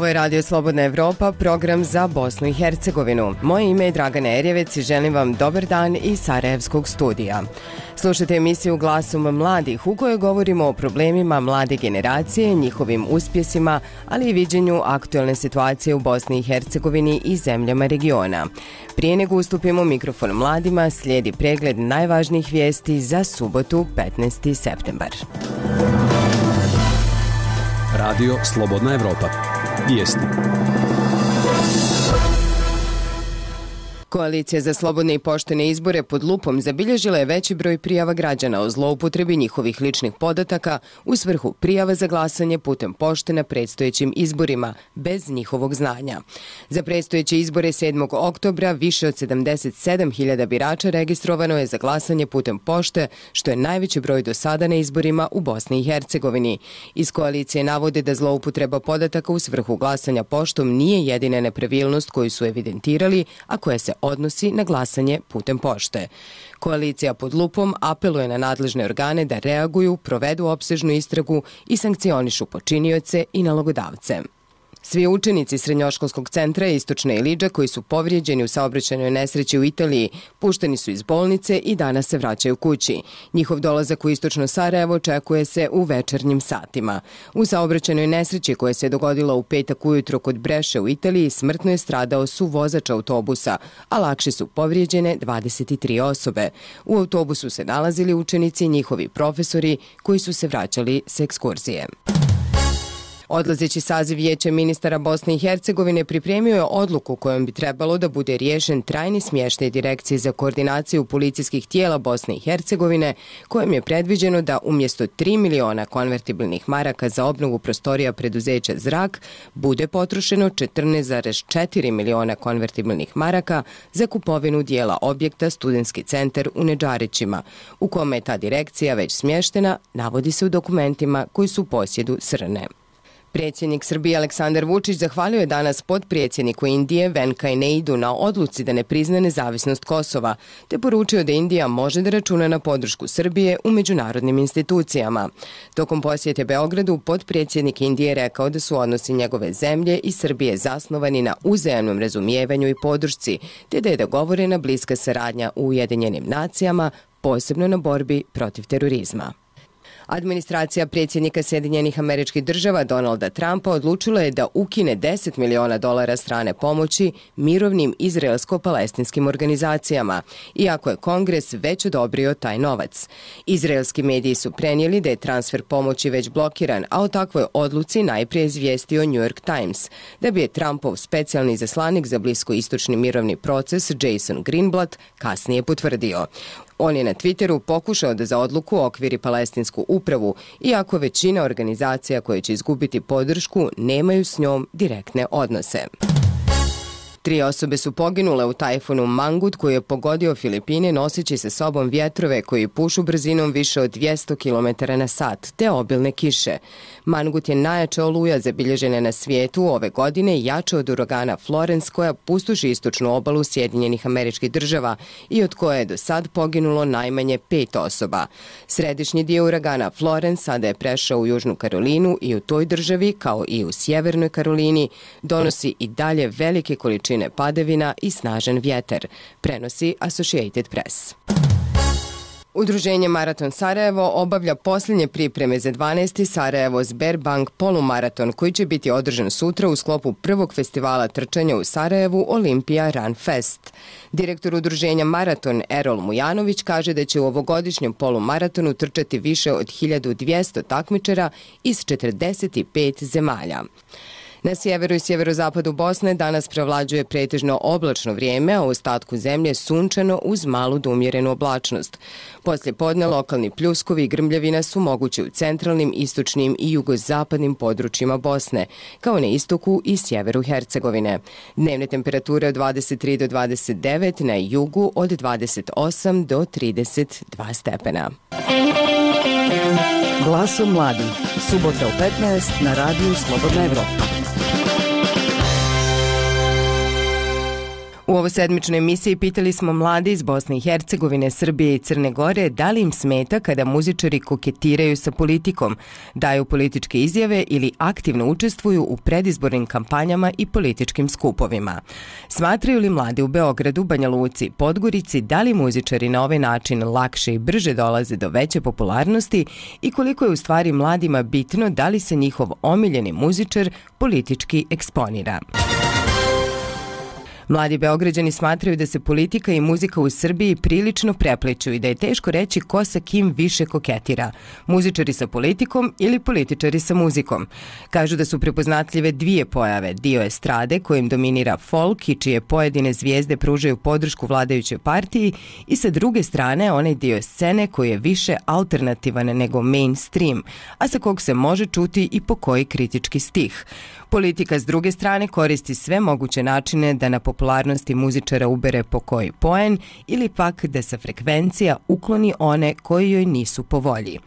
Ovo je Radio Slobodna Evropa, program za Bosnu i Hercegovinu. Moje ime je Dragana Erjevec i želim vam dobar dan iz Sarajevskog studija. Slušajte emisiju Glasom mladih u kojoj govorimo o problemima mlade generacije, njihovim uspjesima, ali i viđenju aktualne situacije u Bosni i Hercegovini i zemljama regiona. Prije nego ustupimo mikrofon mladima, slijedi pregled najvažnijih vijesti za subotu 15. septembar. Radio Slobodna Evropa. Vijesti. Koalicija za slobodne i poštene izbore pod lupom zabilježila je veći broj prijava građana o zloupotrebi njihovih ličnih podataka u svrhu prijava za glasanje putem pošte na predstojećim izborima, bez njihovog znanja. Za predstojeće izbore 7. oktobra više od 77.000 birača registrovano je za glasanje putem pošte, što je najveći broj do sada na izborima u Bosni i Hercegovini. Iz koalicije navode da zloupotreba podataka u svrhu glasanja poštom nije jedina nepravilnost koju su evidentirali, a koja se odnosi na glasanje putem pošte. Koalicija pod lupom apeluje na nadležne organe da reaguju, provedu opsežnu istragu i sankcionišu počinioce i nalogodavce. Svi učenici Srednjoškolskog centra Istočna Ilidža koji su povrijeđeni u saobraćajnoj nesreći u Italiji pušteni su iz bolnice i danas se vraćaju kući. Njihov dolazak u Istočno Sarajevo očekuje se u večernjim satima. U saobraćajnoj nesreći koja se dogodila u petak ujutro kod Breše u Italiji smrtno je stradao suvozač autobusa, a lakše su povrijeđene 23 osobe. U autobusu se nalazili učenici i njihovi profesori koji su se vraćali s ekskurzije. Odlazeći saziv Vijeća ministara Bosne i Hercegovine pripremio je odluku kojom bi trebalo da bude riješen trajni smještaj Direkcije za koordinaciju policijskih tijela Bosne i Hercegovine, kojim je predviđeno da umjesto 3 miliona konvertibilnih maraka za obnovu prostorija preduzeća Zrak bude potrošeno 14,4 miliona konvertibilnih maraka za kupovinu dijela objekta Studentski centar u Nedžarićima, u kome je ta direkcija već smještena, navodi se u dokumentima koji su u posjedu SRNE. Predsjednik Srbije Aleksandar Vučić zahvalio je danas potpredsjedniku Indije Venkaj Naidu na odluci da ne prizna nezavisnost Kosova, te poručio da Indija može da računa na podršku Srbije u međunarodnim institucijama. Tokom posjete Beogradu, potpredsjednik Indije rekao da su odnosi njegove zemlje i Srbije zasnovani na uzajamnom razumijevanju i podršci, te da je dogovorena bliska saradnja u Ujedinjenim nacijama, posebno na borbi protiv terorizma. Administracija predsjednika Sjedinjenih Američkih Država Donalda Trumpa odlučila je da ukine $10 miliona strane pomoći mirovnim izraelsko-palestinskim organizacijama, iako je Kongres već odobrio taj novac. Izraelski mediji su prenijeli da je transfer pomoći već blokiran, a o takvoj odluci najprije izvijestio New York Times, da bi je Trumpov specijalni izaslanik za bliskoistočni mirovni proces Jason Greenblatt kasnije potvrdio. On je na Twitteru pokušao da za odluku okviri palestinsku upravu, iako većina organizacija koje će izgubiti podršku nemaju s njom direktne odnose. 3 osobe su poginule u tajfunu Mangut koji je pogodio Filipine noseći sa sobom vjetrove koji pušu brzinom više od 200 km na sat, te obilne kiše. Mangut je najjača oluja zabilježena na svijetu ove godine, jača od uragana Florence koja pustoši istočnu obalu Sjedinjenih Američkih Država i od koje je do sad poginulo najmanje 5 osoba. Središnji dio uragana Florence sada je prešao u Južnu Karolinu i u toj državi, kao i u Sjevernoj Karolini, donosi i dalje velike količine padavina i snažan vjetar, prenosi Associated Press. Udruženje Maraton Sarajevo obavlja posljednje pripreme za 12. Sarajevo Sberbank polumaraton koji će biti održan sutra u sklopu prvog festivala trčanja u Sarajevu Olimpija Run Fest. Direktor udruženja Maraton Erol Mujanović kaže da će u ovogodišnjem polumaratonu trčati više od 1200 takmičara iz 45 zemalja. Na sjeveru i sjeverozapadu Bosne danas prevlađuje pretežno oblačno vrijeme, a u ostatku zemlje sunčano uz malu do umjerenu oblačnost. Poslije podne lokalni pljuskovi i grmljavina su mogući u centralnim, istočnim i jugozapadnim područjima Bosne, kao na istoku i sjeveru Hercegovine. Dnevne temperature od 23 do 29, na jugu od 28 do 32 stepena. Glasom mladih. Subota u 15 na radiju Slobodna Evropa. U ovoj sedmičnoj emisiji pitali smo mlade iz Bosne i Hercegovine, Srbije i Crne Gore da li im smeta kada muzičari koketiraju sa politikom, daju političke izjave ili aktivno učestvuju u predizbornim kampanjama i političkim skupovima. Smatraju li mladi u Beogradu, Banja Luci, Podgorici da li muzičari na ovaj način lakše i brže dolaze do veće popularnosti i koliko je u stvari mladima bitno da li se njihov omiljeni muzičar politički eksponira? Mladi Beograđani smatraju da se politika i muzika u Srbiji prilično prepliću i da je teško reći ko sa kim više koketira, muzičari sa politikom ili političari sa muzikom. Kažu da su prepoznatljive dvije pojave, dio estrade kojim dominira folk i čije pojedine zvijezde pružaju podršku vladajućoj partiji i sa druge strane onaj dio scene koji je više alternativan nego mainstream, a sa kog se može čuti i po koji kritički stih. Politika s druge strane koristi sve moguće načine da na popularnosti muzičara ubere po koji poen ili pak da sa frekvencija ukloni one koji joj nisu po volji.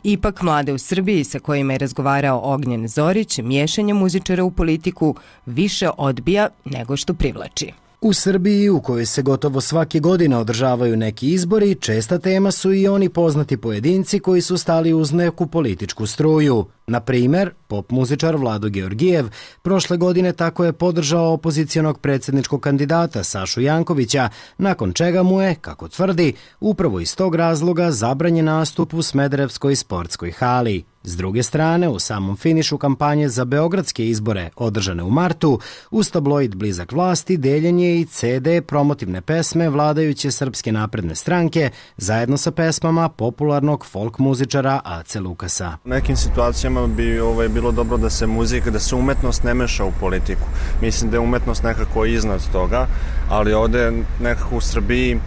Ipak mlade u Srbiji sa kojima je razgovarao Ognjen Zorić miješanje muzičara u politiku više odbija nego što privlači. U Srbiji, u kojoj se gotovo svake godine održavaju neki izbori, česta tema su i oni poznati pojedinci koji su stali uz neku političku struju. Na primer, pop muzičar Vlado Georgijev prošle godine tako je podržao opozicionog predsjedničkog kandidata Sašu Jankovića, nakon čega mu je, kako tvrdi, upravo iz tog razloga zabranjen nastup u Smederevskoj sportskoj hali. S druge strane, u samom finišu kampanje za beogradske izbore, održane u martu, uz tabloid blizak vlasti deljen je i CD promotivne pesme vladajuće Srpske napredne stranke zajedno sa pesmama popularnog folk muzičara Ace Lukasa. U nekim situacijama bi bilo dobro da se muzika, da se umetnost ne meša u politiku. Mislim da je umetnost nekako iznad toga, ali ovde nekako u Srbiji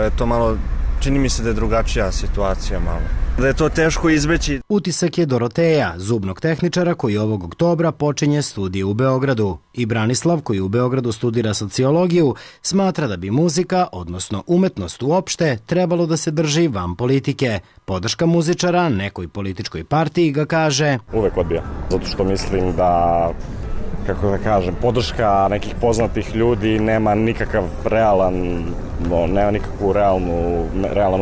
je to malo, čini mi se da je drugačija situacija malo. Da je to teško izbeći. Utisak je Doroteja, zubnog tehničara koji ovog oktobra počinje studije u Beogradu. I Branislav, koji u Beogradu studira sociologiju, smatra da bi muzika, odnosno umetnost uopšte, trebalo da se drži van politike. Podrška muzičara nekoj političkoj partiji ga kaže: uvek odbija, zato što mislim da, kako da kažem, podrška nekih poznatih ljudi nema nikakav realan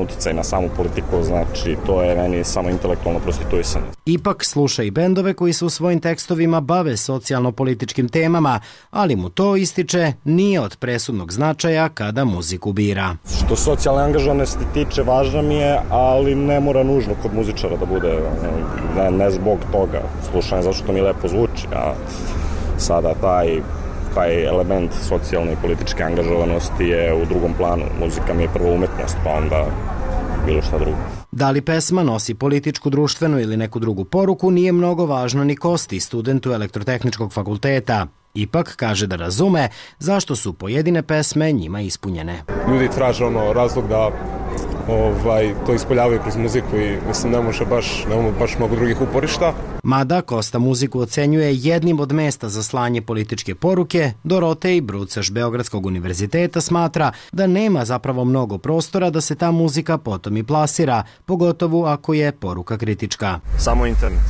uticaj na samu politiku, znači to je meni samo intelektualno prostituisanje. Ipak sluša i bendove koji se u svojim tekstovima bave socijalno-političkim temama, ali mu to, ističe, nije od presudnog značaja kada muziku bira. Što socijalne angažovanosti tiče, važna mi je, ali ne mora nužno kod muzičara da bude, ne zbog toga. Slušanje zato što mi lepo zvuči, a sada taj element socijalne i političke angažovanosti je u drugom planu. Muzika mi je prvo umetnost, pa onda bilo šta drugo. Da li pesma nosi političku, društvenu ili neku drugu poruku nije mnogo važno ni Kosti, studentu Elektrotehničkog fakulteta. Ipak kaže da razume zašto su pojedine pesme njima ispunjene. Ljudi traže razlog da to ispoljavaju kroz muziku i mislim nemamo baš mnogo drugih uporišta. Mada Kosta muziku ocenjuje jednim od mesta za slanje političke poruke, Dorotej Brucaš Beogradskog univerziteta smatra da nema zapravo mnogo prostora da se ta muzika potom i plasira, pogotovo ako je poruka kritička. Samo internet.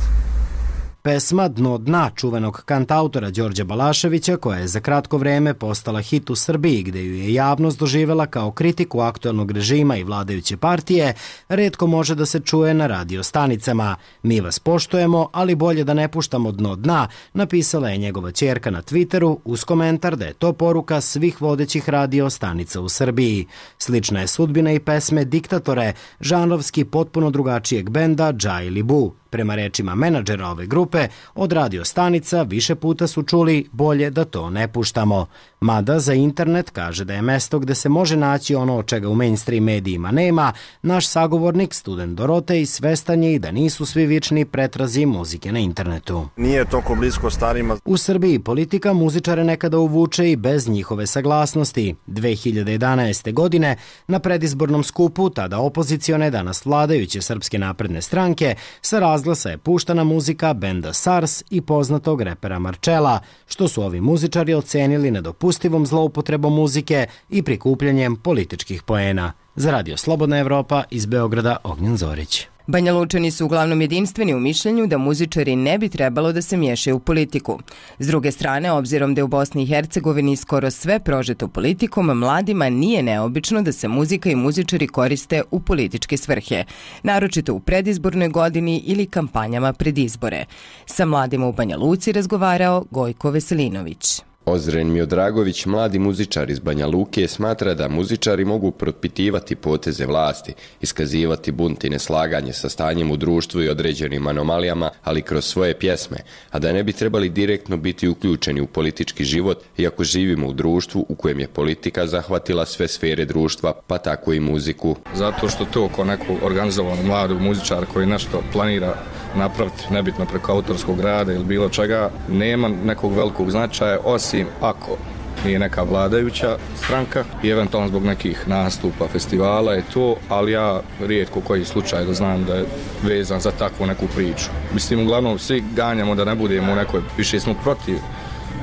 Pesma Dno dna čuvenog kantautora Đorđa Balaševića, koja je za kratko vreme postala hit u Srbiji, gde ju je javnost doživela kao kritiku aktuelnog režima i vladajuće partije, retko može da se čuje na radio stanicama. Mi vas poštujemo, ali bolje da ne puštamo dno dna, napisala je njegova ćerka na Twitteru uz komentar da je to poruka svih vodećih radio stanica u Srbiji. Slična je sudbina i pesme Diktatore, žanrovski potpuno drugačijeg benda Dža ili Bu. Prema rečima menadžera ove grupe, od radio stanica više puta su čuli bolje da to ne puštamo. Mada za internet kaže da je mesto gde se može naći ono od čega u mainstream medijima nema, naš sagovornik, student Dorotej, svestan je i da nisu svi vični pretrazi muzike na internetu. Nije toliko blisko starima. U Srbiji politika muzičare nekada uvuče i bez njihove saglasnosti. 2011. godine na predizbornom skupu, tada opozicione, danas vladajuće Srpske napredne stranke, sa razglasa je puštana muzika benda SARS i poznatog repera Marčela, što su ovi muzičari ocenili nedopustivom zloupotrebom muzike i prikupljanjem političkih poena. Za Radio Slobodna Evropa iz Beograda, Ognjen Zorić. Banja Lučani su uglavnom jedinstveni u mišljenju da muzičari ne bi trebalo da se miješaju u politiku. S druge strane, obzirom da je u Bosni i Hercegovini skoro sve prožeto politikom, mladima nije neobično da se muzika i muzičari koriste u političke svrhe, naročito u predizbornoj godini ili kampanjama pred izbore. Sa mladima u Banja Luci razgovarao Gojko Veselinović. Ozren Miodragović, mladi muzičar iz Banja Luke, smatra da muzičari mogu propitivati poteze vlasti, iskazivati bunt i neslaganje sa stanjem u društvu i određenim anomalijama, ali kroz svoje pjesme, a da ne bi trebali direktno biti uključeni u politički život, iako živimo u društvu u kojem je politika zahvatila sve sfere društva, pa tako i muziku. Zato što to ko neko organizovano mladog muzičara koji nešto planira napraviti, nebitno preko autorskog rada ili bilo čega, nema nekog velikog značaja, osim ako nije neka vladajuća stranka i eventualno zbog nekih nastupa, festivala je to, ali ja rijetko koji slučaj da znam da je vezan za takvu neku priču. Mislim, uglavnom svi ganjamo da ne budemo u nekoj, više smo protiv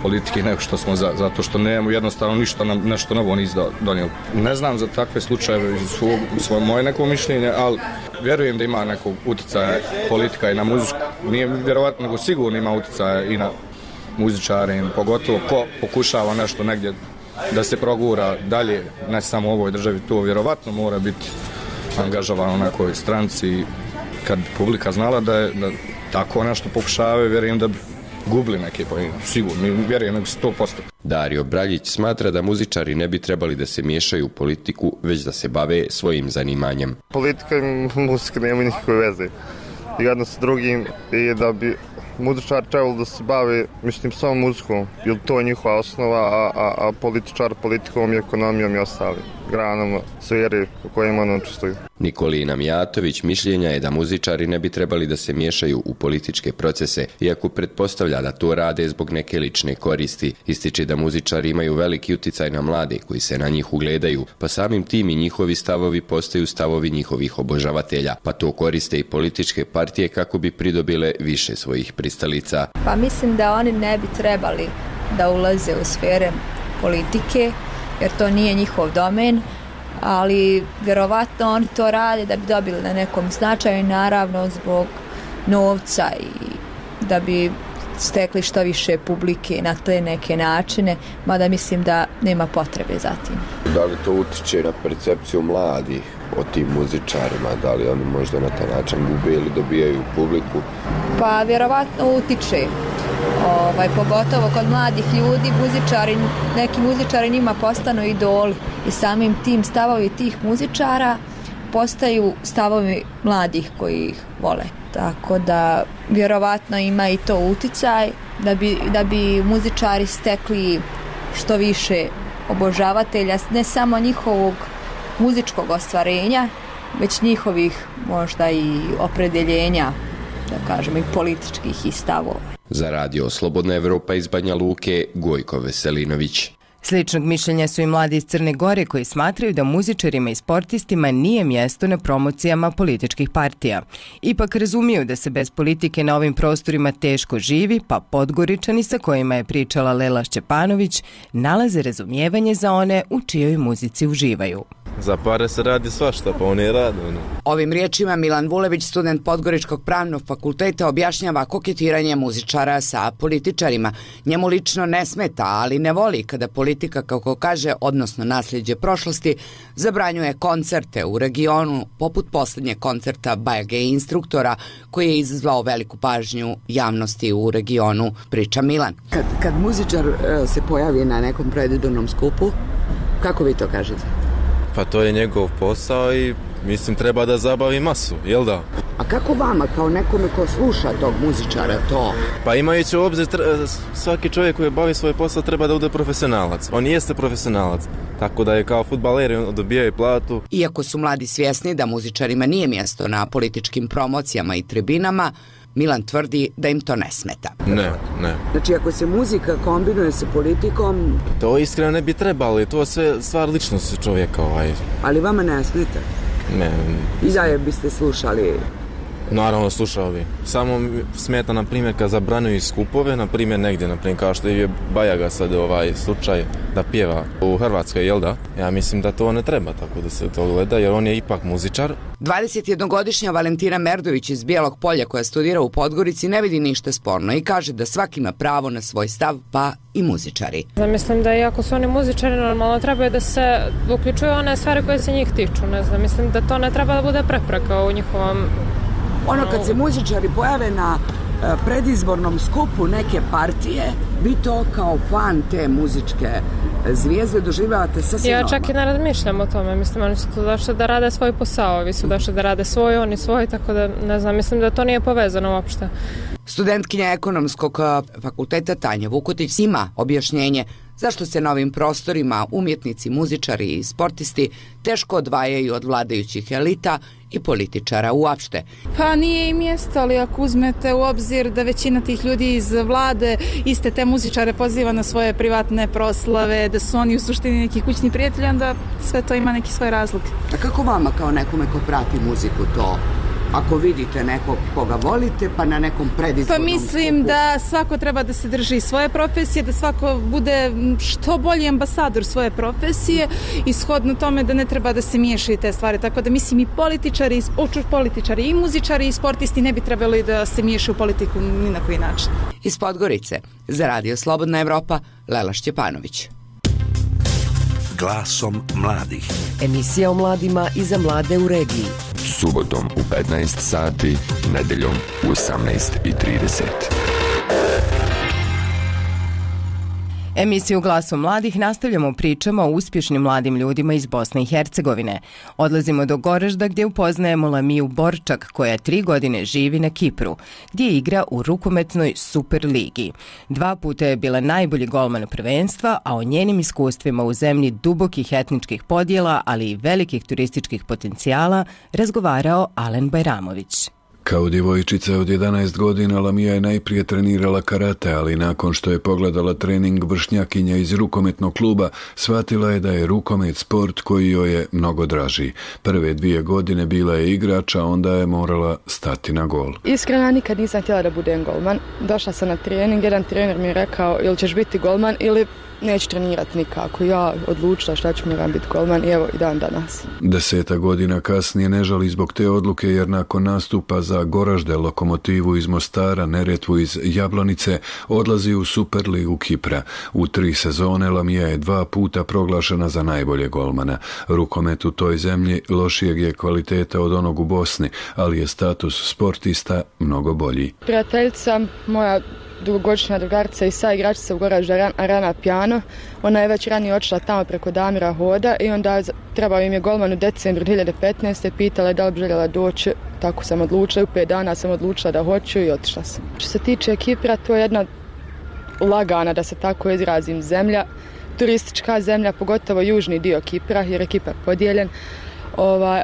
politike nego što smo zato što nemamo jednostavno ništa nam nešto novo nisu donijeli. Ne znam za takve slučajeve svoje moje neko mišljenje, ali vjerujem da ima nekog utjecaja politika i na muziku. Nije vjerovatno, nego sigurno ima utjecaja i na muzičare, pogotovo ko pokušava nešto negdje da se progura dalje, ne samo u ovoj državi, to vjerovatno mora biti angažovano na nekoj stranci. Kad publika znala da tako nešto pokušavaju, vjerujem da bi gubili neke pojene, sigurno, vjerujem nego 100%. Dario Braljić smatra da muzičari ne bi trebali da se miješaju u politiku, već da se bave svojim zanimanjem. Politika i muzika nema nikakve veze. Jedno sa drugim je da bi muzičar trebalo da se bave, mislim, samo muzikom, jer to je njihova osnova, a političar politikom i ekonomijom i ostali granama sfere u kojima on učestvuju. Nikolina Mijatović mišljenja je da muzičari ne bi trebali da se miješaju u političke procese, iako pretpostavlja da to rade zbog neke lične koristi. Ističe da muzičari imaju veliki uticaj na mlade koji se na njih ugledaju, pa samim tim i njihovi stavovi postaju stavovi njihovih obožavatelja, pa to koriste i političke partije kako bi pridobile više svojih pristalica. Pa mislim da oni ne bi trebali da ulaze u sfere politike, jer to nije njihov domen, ali vjerovatno oni to rade da bi dobili na nekom značaju, naravno zbog novca i da bi stekli što više publike na te neke načine, mada mislim da nema potrebe za tim. Da li to utiče na percepciju mladih o tim muzičarima, da li oni možda na taj način gube ili dobijaju publiku? Pa vjerovatno utiče. Pogotovo kod mladih ljudi, neki muzičari njima postanu idoli i samim tim stavovi tih muzičara postaju stavovi mladih koji ih vole. Tako da vjerovatno ima i to uticaj da bi muzičari stekli što više obožavatelja, ne samo njihovog muzičkog ostvarenja, već njihovih možda i opredeljenja, da kažemo, i političkih i stavova. Za radio Slobodna Evropa iz Banja Luke, Gojko Veselinović. Sličnog mišljenja su i mladi iz Crne Gore koji smatraju da muzičarima i sportistima nije mjesto na promocijama političkih partija. Ipak razumiju da se bez politike na ovim prostorima teško živi, pa Podgoričani sa kojima je pričala Lela Šćepanović nalaze razumijevanje za one u čijoj muzici uživaju. Za pare se radi svašta, pa oni rade. Ovim riječima Milan Vulević, student Podgoričkog pravnog fakulteta, objašnjava koketiranje muzičara sa političarima. Njemu lično ne smeta, ali ne voli kada politika, kako kaže, odnosno nasljeđe prošlosti, zabranjuje koncerte u regionu, poput posljednjeg koncerta Bajage instruktora, koji je izazvao veliku pažnju javnosti u regionu, priča Milan. Kad muzičar se pojavi na nekom predizbornom skupu, kako vi to kažete? Pa to je njegov posao i mislim treba da zabavi masu, jel da? A kako vama, kao nekome ko sluša tog muzičara, to? Pa imajući u obzir, svaki čovjek koji bavi svoj posao treba da bude profesionalac. On jeste profesionalac, tako da je kao fudbaler, on dobija i platu. Iako su mladi svjesni da muzičarima nije mjesto na političkim promocijama i tribinama, Milan tvrdi da im to ne smeta. Ne. Znači, ako se muzika kombinuje sa politikom... To iskreno ne bi trebalo, to je sve stvar ličnosti čovjeka. Ali vama ne smeta? Ne. I dalje biste slušali Naravno slušao bi. Samo smeta, na primjer, kad zabranjuju skupove, na primjer negdje, na primjer, kao što je Bajaga sad slučaj da pjeva u Hrvatskoj, jel da? Ja mislim da to ne treba tako da se to gleda, jer on je ipak muzičar. 21-godišnja Valentina Merdović iz Bijelog Polja, koja studira u Podgorici, ne vidi ništa sporno i kaže da svaki ima pravo na svoj stav, pa i muzičari. Mislim da iako su oni muzičari, normalno trebaju da se uključuju one stvari koje se njih tiču. Ne znam, mislim da to ne treba da bude prepreka u njihovom... Kad se muzičari pojave na predizbornom skupu neke partije, vi to kao fan te muzičke zvijezde doživljavate sasvim normalno. Ja čak i ne razmišljam o tome, mislim, oni su došli da rade svoj posao, ovi su došli da rade svoj, oni svoj, tako da ne znam, mislim da to nije povezano uopšte. Studentkinja Ekonomskog fakulteta Tanja Vukotić ima objašnjenje zašto se na ovim prostorima umjetnici, muzičari i sportisti teško odvajaju od vladajućih elita i političara uopšte. Pa nije i mjesto, ali ako uzmete u obzir da većina tih ljudi iz vlade iste te muzičare poziva na svoje privatne proslave, da su oni u suštini neki kućni prijatelji, onda sve to ima neki svoj razlog. A kako vama kao nekome ko prati muziku to? Ako vidite nekog koga volite, pa na nekom predizbornom Pa mislim skupu. Da svako treba da se drži svoje profesije, da svako bude što bolji ambasador svoje profesije i shodno tome da ne treba da se miješaju te stvari. Tako da mislim i političari i muzičari i sportisti ne bi trebali da se miješaju u politiku ni na koji način. Iz Podgorice, za Radio Slobodna Evropa, Lela Šćepanović. Glasom mladih. Emisija o mladima i za mlade u regiji. Subotom u 15 sati, nedeljom u 18:30. Emisiju Glasom mladih nastavljamo pričama o uspješnim mladim ljudima iz Bosne i Hercegovine. Odlazimo do Goražda gdje upoznajemo Lamiju Borčak, koja 3 godine živi na Kipru, gdje igra u rukometnoj Super ligi. 2 puta je bila najbolji golman prvenstva, a o njenim iskustvima u zemlji dubokih etničkih podjela, ali i velikih turističkih potencijala, razgovarao Alen Bajramović. Kao djevojčica od 11 godina Lamija je najprije trenirala karate, ali nakon što je pogledala trening vršnjakinja iz rukometnog kluba, shvatila je da je rukomet sport koji joj je mnogo draži. Prve 2 godine bila je igrač, a onda je morala stati na gol. Iskreno, nikad nisam htjela da budem golman. Došla sam na trening, jedan trener mi je rekao ili ćeš biti golman ili neću trenirati nikako. Ja odlučila šta ću, moram biti golman i evo i dan danas. 10 godina kasnije ne žali zbog te odluke, jer nakon nastupa za Goražde, Lokomotivu iz Mostara, Neretvu iz Jablonice, odlazi u Superligu Kipra. U 3 sezone Lamija je 2 puta proglašena za najbolje golmana. Rukomet u toj zemlji lošijeg je kvaliteta od onog u Bosni, ali je status sportista mnogo bolji. Prijateljica moja, dugogodišnja drugarica i saigračica u Goražda Rana Pjano. Ona je već ranije otišla tamo preko Damira Hoda i onda trebao im je golman u decembru 2015. Pitala je da li bi željela doći, tako sam odlučila. U 5 dana sam odlučila da hoću i otišla sam. Što se tiče Kipra, to je jedna lagana, da se tako izrazim, zemlja. Turistička zemlja, pogotovo južni dio Kipra, jer je Kipar podijeljen.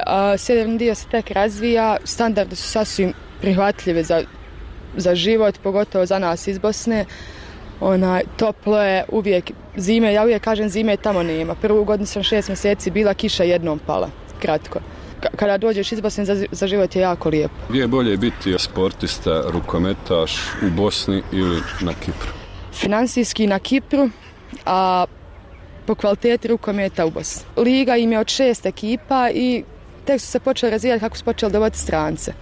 A sjeverni dio se tek razvija, standardi su sasvim prihvatljivi za život, pogotovo za nas iz Bosne. Toplo je uvijek, zime, ja uvijek kažem zime tamo nema. Prvu godinu sam 6 mjeseci bila, kiša jednom pala, kratko. Kada dođeš iz Bosne, za život je jako lijepo. Gdje je bolje biti sportista, rukometaš u Bosni ili na Kipru? Finansijski na Kipru, a po kvaliteti rukometa u Bosni. Liga im je od 6 ekipa i tek su se počeli razvijati kako su počeli dovoditi strance.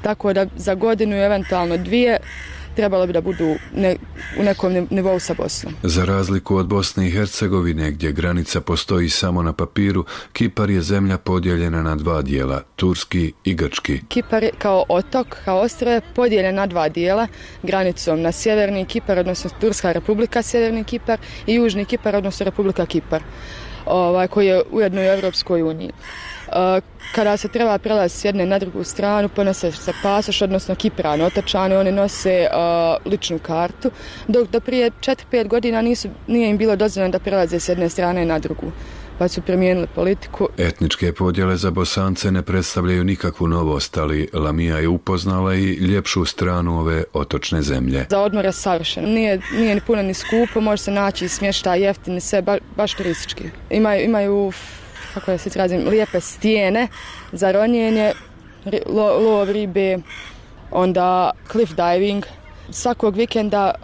Tako da za godinu, eventualno 2, trebalo bi da budu u nekom nivou sa Bosnom. Za razliku od Bosne i Hercegovine, gdje granica postoji samo na papiru, Kipar je zemlja podijeljena na 2 dijela, turski i grčki. Kipar kao otok, kao ostrvo, podijeljen na 2 dijela, granicom na sjeverni Kipar, odnosno Turska republika sjeverni Kipar, i južni Kipar, odnosno Republika Kipar, koji je ujedno u Europskoj uniji. Kada se treba prelaziti s jedne na drugu stranu, ponose se pasoš, odnosno Kiprani, otočani, oni nose ličnu kartu, dok do prije 4-5 godina nije im bilo dozvoljeno da prelaze s jedne strane na drugu, pa su promijenili politiku. Etničke podjele za Bosance ne predstavljaju nikakvu novost, ali Lamija je upoznala i ljepšu stranu ove otočne zemlje. Za odmor je savršeno, nije ni puno ni skupo, može se naći smještaj jeftini, sve baš turistički. Imaju kako da se izrazim, lijepe stijene za ronjenje, lov ribe, onda cliff diving. Svakog vikenda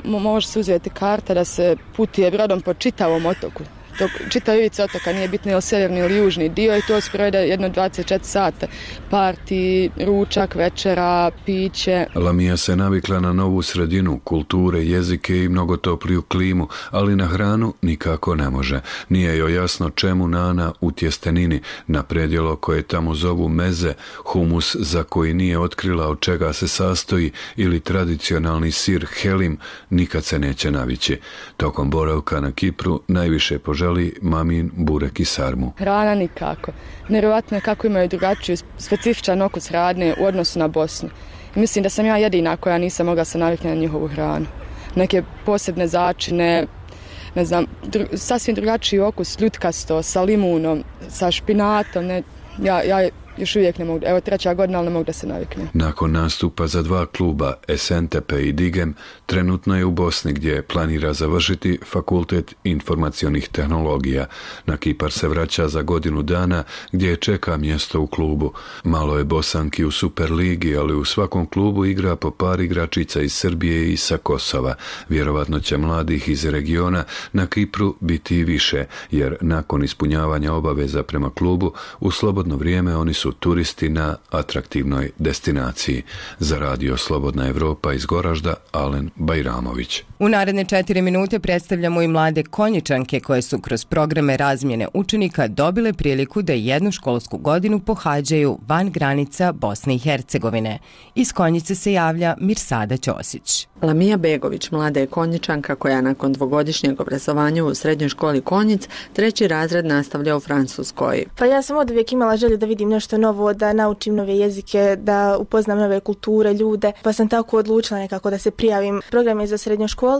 može se uzeti karta da se putuje brodom po čitavom otoku. Čitav ivica otoka, nije bitno je li sjeverni ili južni dio, i to se provede jedno 24 sata. Parti, ručak, večera, piće. Lamija se navikla na novu sredinu, kulture, jezike i mnogo topliju klimu, ali na hranu nikako ne može. Nije joj jasno čemu nana u tjestenini, na predjelo koje tamo zovu meze, humus za koji nije otkrila od čega se sastoji, ili tradicionalni sir helim, nikad se neće navići. Tokom boravka na Kipru najviše poželi mamin burek i sarmu. Hrana nikako. Nevjerojatno je kako imaju drugačiju, specifičan okus hrane u odnosu na Bosnu. I mislim da sam ja jedina koja nisam mogla se naviknuti na njihovu hranu. Neke posebne začine, ne znam, sasvim drugačiji okus, ljutkasto, sa limunom, sa špinatom. Ja još uvijek ne mogu, evo 3. godina, ali ne mogu da se naviknem. Nakon nastupa za 2 kluba, Esentepe i Digem, trenutno je u Bosni gdje planira završiti Fakultet informacionih tehnologija. Na Kipar se vraća za godinu dana gdje je čeka mjesto u klubu. Malo je Bosanki u Superligi, ali u svakom klubu igra po par igračica iz Srbije i sa Kosova. Vjerovatno će mladih iz regiona na Kipru biti i više, jer nakon ispunjavanja obaveza prema klubu, u slobodno vrijeme oni su turisti na atraktivnoj destinaciji. Za Radio Slobodna Evropa iz Goražda, Alen Bajramović. U naredne 4 minute predstavljamo i mlade Konjičanke koje su kroz programe razmjene učenika dobile priliku da jednu školsku godinu pohađaju van granica Bosne i Hercegovine. Iz Konjice se javlja Mirsada Ćosić. Lamija Begović, mlada je Konjičanka koja nakon 2-godišnjeg obrazovanja u srednjoj školi Konjic 3. razred nastavlja u Francuskoj. Pa ja sam od uvijek imala želju da vidim nešto novo, da naučim nove jezike, da upoznam nove kulture, ljude, pa sam tako odlučila nekako da se prijavim. Program je za srednjoškolce,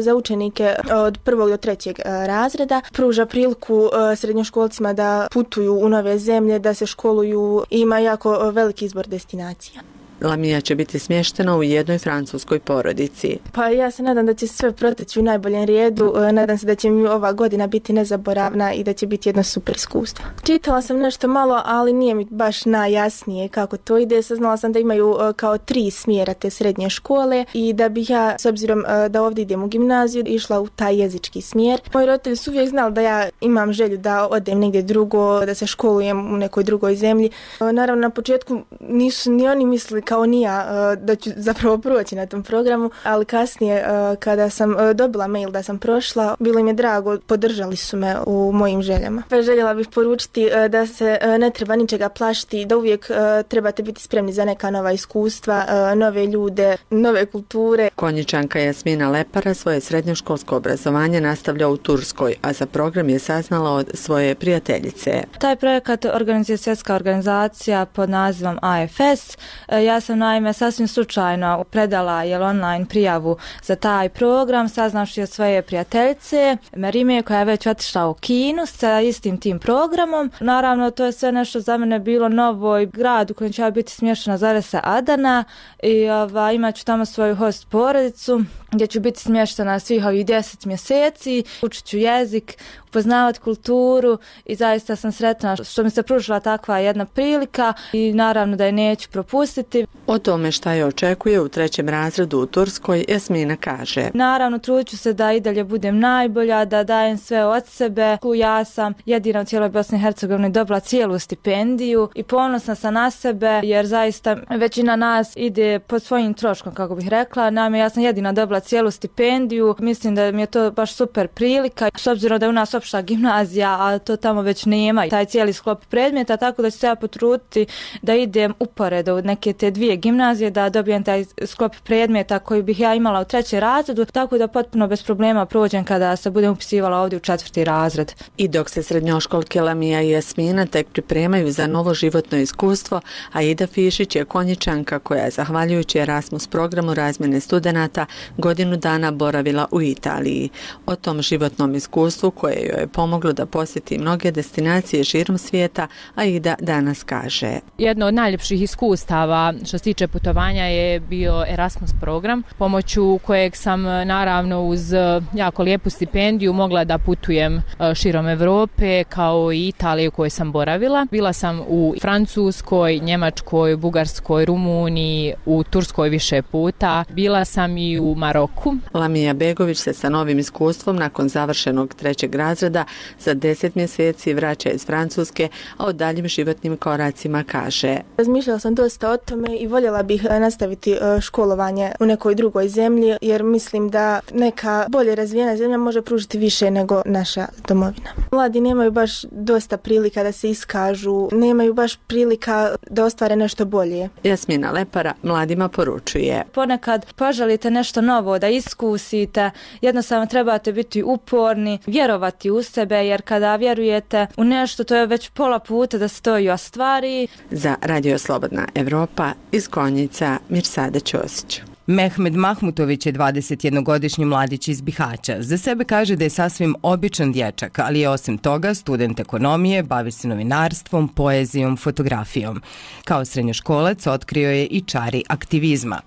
za učenike od 1. do 3. razreda. Pruža priliku srednjoškolcima da putuju u nove zemlje, da se školuju i ima jako veliki izbor destinacija. Lamija će biti smještena u jednoj francuskoj porodici. Pa ja se nadam da će sve proteći u najboljem redu, nadam se da će mi ova godina biti nezaboravna i da će biti jedno super iskustvo. Čitala sam nešto malo, ali nije mi baš najjasnije kako to ide. Saznala sam da imaju kao 3 smjera te srednje škole i da bih ja, s obzirom da ovdje idem u gimnaziju, išla u taj jezički smjer. Moji roditelji su uvijek znali da ja imam želju da odem negdje drugo, da se školujem u nekoj drugoj zemlji. Naravno, na početku nisu ni oni mislili kao ni ja da ću zapravo proći na tom programu, ali kasnije kada sam dobila mail da sam prošla, bilo im je drago, podržali su me u mojim željama. Željela bih poručiti da se ne treba ničega plašiti, da uvijek trebate biti spremni za neka nova iskustva, nove ljude, nove kulture. Konjičanka Jasmina Lepara svoje srednjoškolsko obrazovanje nastavlja u Turskoj, a za program je saznala od svoje prijateljice. Taj projekat organizuje svjetska organizacija pod nazivom AFS. Ja sam naime sasvim slučajno predala online prijavu za taj program, saznavši od svoje prijateljice Marime koja je već otišla u Kinu sa istim tim programom. Naravno, to je sve nešto za mene bilo novo i grad u kojem će biti smještena zove se Adana i imat ću tamo svoju host porodicu gdje ću biti smještena svih ovih 10 mjeseci, učit ću jezik, upoznavati kulturu i zaista sam sretna što mi se pružila takva jedna prilika i naravno da je neću propustiti. O tome šta je očekuje u 3. razredu u Turskoj, Jasmina kaže. Naravno, trudit ću se da i dalje budem najbolja, da dajem sve od sebe. Ja sam jedina u cijeloj Bosni i Hercegovini dobila cijelu stipendiju i ponosna sam na sebe jer zaista većina nas ide pod svojim troškom, kako bih rekla. Naime, ja sam jedina dobila cijelu stipendiju. Mislim da mi je to baš super prilika. S obzirom da je u nas opšta gimnazija, a to tamo već nema, taj cijeli sklop predmeta, tako da ću se ja potruditi da idem uporedo u neke te 2 gimnazije, da dobijem taj sklop predmeta koji bih ja imala u 3. razredu, tako da potpuno bez problema prođem kada se budem upisivala ovdje u 4. razred. I dok se srednjoškolke Lamija i Jasmina tek pripremaju za novo životno iskustvo, Aida Fišić je Konjičanka koja je zahvaljujući Erasmus programu razmjene studenata godinu dana boravila u Italiji. O tom životnom iskustvu koje joj je pomoglo da posjeti mnoge destinacije širom svijeta, Aida danas kaže. Jedno od najljepših iskustava što se tiče putovanja je bio Erasmus program, pomoću kojeg sam naravno uz jako lijepu stipendiju mogla da putujem širom Europe kao i Italije u kojoj sam boravila. Bila sam u Francuskoj, Njemačkoj, Bugarskoj, Rumuniji, u Turskoj više puta. Bila sam i u Maroku. Lamija Begović se sa novim iskustvom nakon završenog 3. razreda za 10 mjeseci vraća iz Francuske, a o daljim životnim koracima kaže: Razmišljala sam dosta o tome i voljela bih nastaviti školovanje u nekoj drugoj zemlji, jer mislim da neka bolje razvijena zemlja može pružiti više nego naša domovina. Mladi nemaju baš dosta prilika da se iskažu, nemaju baš prilika da ostvare nešto bolje. Jasmina Lepara mladima poručuje: ponekad poželite nešto novo da iskusite, jednostavno trebate biti uporni, vjerovati u sebe, jer kada vjerujete u nešto, to je već pola puta da se to i ostvari. Za Radio Slobodna Evropa iz Konjica, Mirsada Ćosić. Mehmed Mahmutović je 21-godišnji mladić iz Bihaća. Za sebe kaže da je sasvim običan dječak, ali je osim toga student ekonomije, bavi se novinarstvom, poezijom, fotografijom. Kao srednjoškolac otkrio je i čari aktivizma.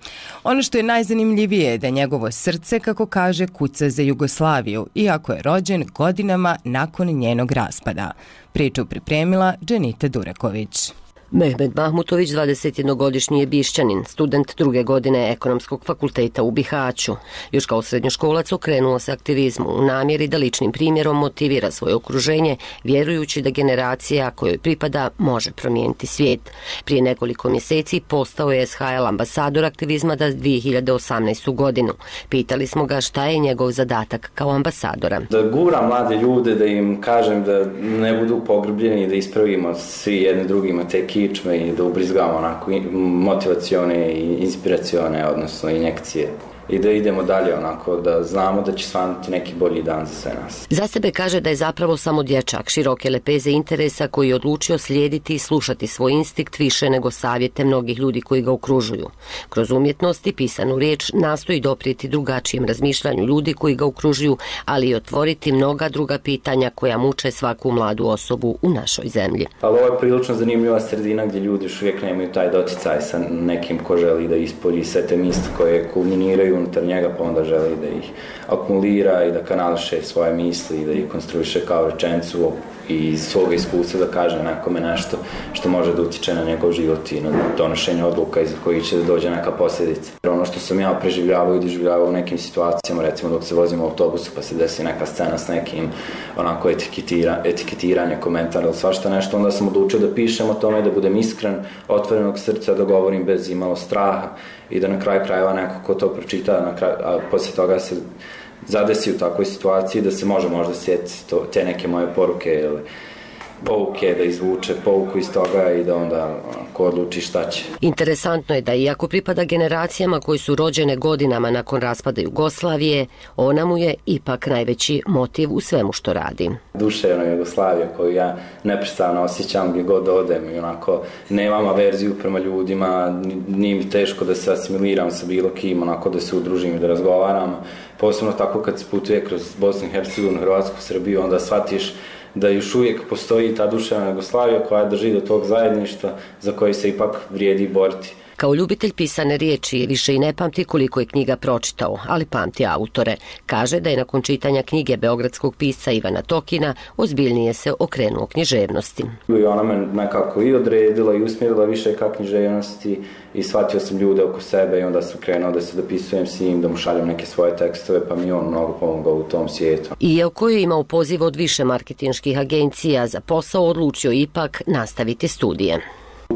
Ono što je najzanimljivije je da njegovo srce, kako kaže, kuca za Jugoslaviju, iako je rođen godinama nakon njenog raspada. Priču pripremila Dženita Dureković. Mehmed Mahmutović, 21-godišnji je Bišćanin, student 2. godine Ekonomskog fakulteta u Bihaću. Još kao srednjoškolac okrenuo se aktivizmu u namjeri da ličnim primjerom motivira svoje okruženje, vjerujući da generacija kojoj pripada može promijeniti svijet. Prije nekoliko mjeseci postao je SHL ambasador aktivizma za 2018. godinu. Pitali smo ga šta je njegov zadatak kao ambasadora. Da gura mlade ljude, da im kažem da ne budu pogrbljeni i da ispravimo svi jedni drugima te kičme i da ubrizgamo onako motivacione i inspiracione, odnosno injekcije. I da idemo dalje onako, da znamo da će svanuti neki bolji dan za sve nas. Za sebe kaže da je zapravo samo dječak široke lepeze interesa koji je odlučio slijediti i slušati svoj instinkt više nego savjete mnogih ljudi koji ga okružuju. Kroz umjetnost i pisanu riječ nastoji doprijeti drugačijem razmišljanju ljudi koji ga okružuju, ali i otvoriti mnoga druga pitanja koja muče svaku mladu osobu u našoj zemlji. Ali ovo je prilično zanimljiva sredina gdje ljudi još uvijek nemaju taj doticaj sa nekim ko želi da ispolji sve te misli koje kulminiraju unutar njega, pa onda želi da ih akumulira i da kanališe svoje misli i da ih konstruiše kao rečenicu i iz svoga iskustva da kaže nekome nešto što može da utiče na njegov život i na donošenje odluka iza koji će da dođe neka posljedica. Ono što sam ja preživljavao i doživljavao u nekim situacijama, recimo dok se vozimo u autobusu pa se desi neka scena s nekim onako etiketiranje, komentar ili svašta nešto, onda sam odlučio da pišem o tome, da budem iskren, otvorenog srca, da govorim bez imalo straha i da na kraju krajeva neko ko to pročita, a poslije toga se zadesi u takvoj situaciji da se može možda sjetiti te neke moje poruke ili pouke, da izvuče pouku iz toga i da onda ko odluči šta će. Interesantno je da iako pripada generacijama koji su rođene godinama nakon raspada Jugoslavije, ona mu je ipak najveći motiv u svemu što radi. Duševna Jugoslavija koju ja neprestano osjećam gdje god odem i onako nemam averziju prema ljudima, nije mi teško da se asimiliram sa bilo kim, onako da se udružim i da razgovaram. Posebno tako kad se putuje kroz Bosnu i Hercegovinu, Hrvatsku, Srbiju, onda shvatiš da još uvijek postoji ta duševna Jugoslavija koja drži do tog zajedništva za koje se ipak vrijedi boriti. Kao ljubitelj pisane riječi više i ne pamti koliko je knjiga pročitao, ali pamti autore. Kaže da je nakon čitanja knjige beogradskog pisca Ivana Tokina ozbiljnije se okrenuo književnosti. I ona me nekako i odredila i usmjerila više ka književnosti i shvatio sam ljude oko sebe i onda sam krenuo da se dopisujem s njim, da mu šaljem neke svoje tekstove, pa mi on mnogo pomogao u tom svijetu. Iako je imao poziv od više marketinških agencija za posao, odlučio ipak nastaviti studije.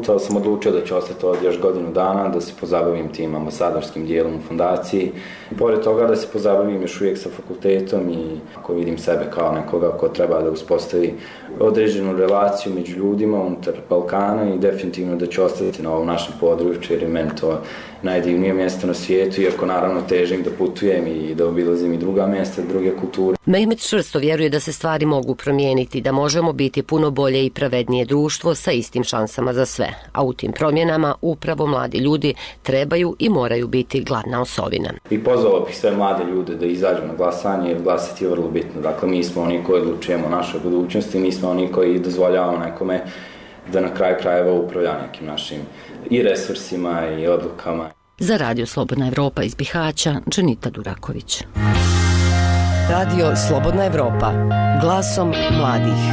Tada sam odlučio da ću ostati ovdje još godinu dana, da se pozabavim tim ambasadorskim dijelom u fondaciji. Pored toga da se pozabavim još uvijek sa fakultetom i ako vidim sebe kao nekoga ko treba da uspostavi određenu relaciju među ljudima unutar Balkana i definitivno da ću ostati na ovom našem području jer je meni to najdivnije mjesto na svijetu, iako naravno težim da putujem i da obilazim i druga mjesta, druge kulture. Mehmed čvrsto vjeruje da se stvari mogu promijeniti, da možemo biti puno bolje i pravednije društvo sa istim šansama za sve. A u tim promjenama upravo mladi ljudi trebaju i moraju biti glavna osovina. I pozvao bih sve mlade ljude da izađu na glasanje jer glasati je vrlo bitno. Dakle, mi smo oni koji odlučujemo o našoj budućnosti, mi smo oni koji dozvoljavamo nekome da na kraju krajeva upravlja nekim našim i resursima i odlukama. Za Radio Slobodna Evropa iz Bihaća, Dženita Duraković. Radio Slobodna Evropa, glasom mladih.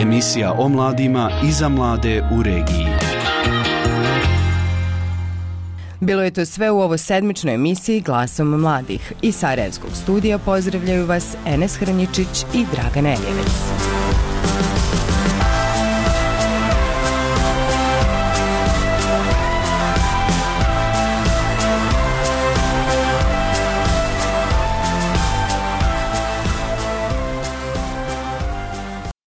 Emisija o mladima i za mlade u regiji. Bilo je to sve u ovo sedmičnoj emisiji Glasom mladih. Iz Sarajevskog studija pozdravljaju vas Enes Hrnjičić i Dragan Eljevec.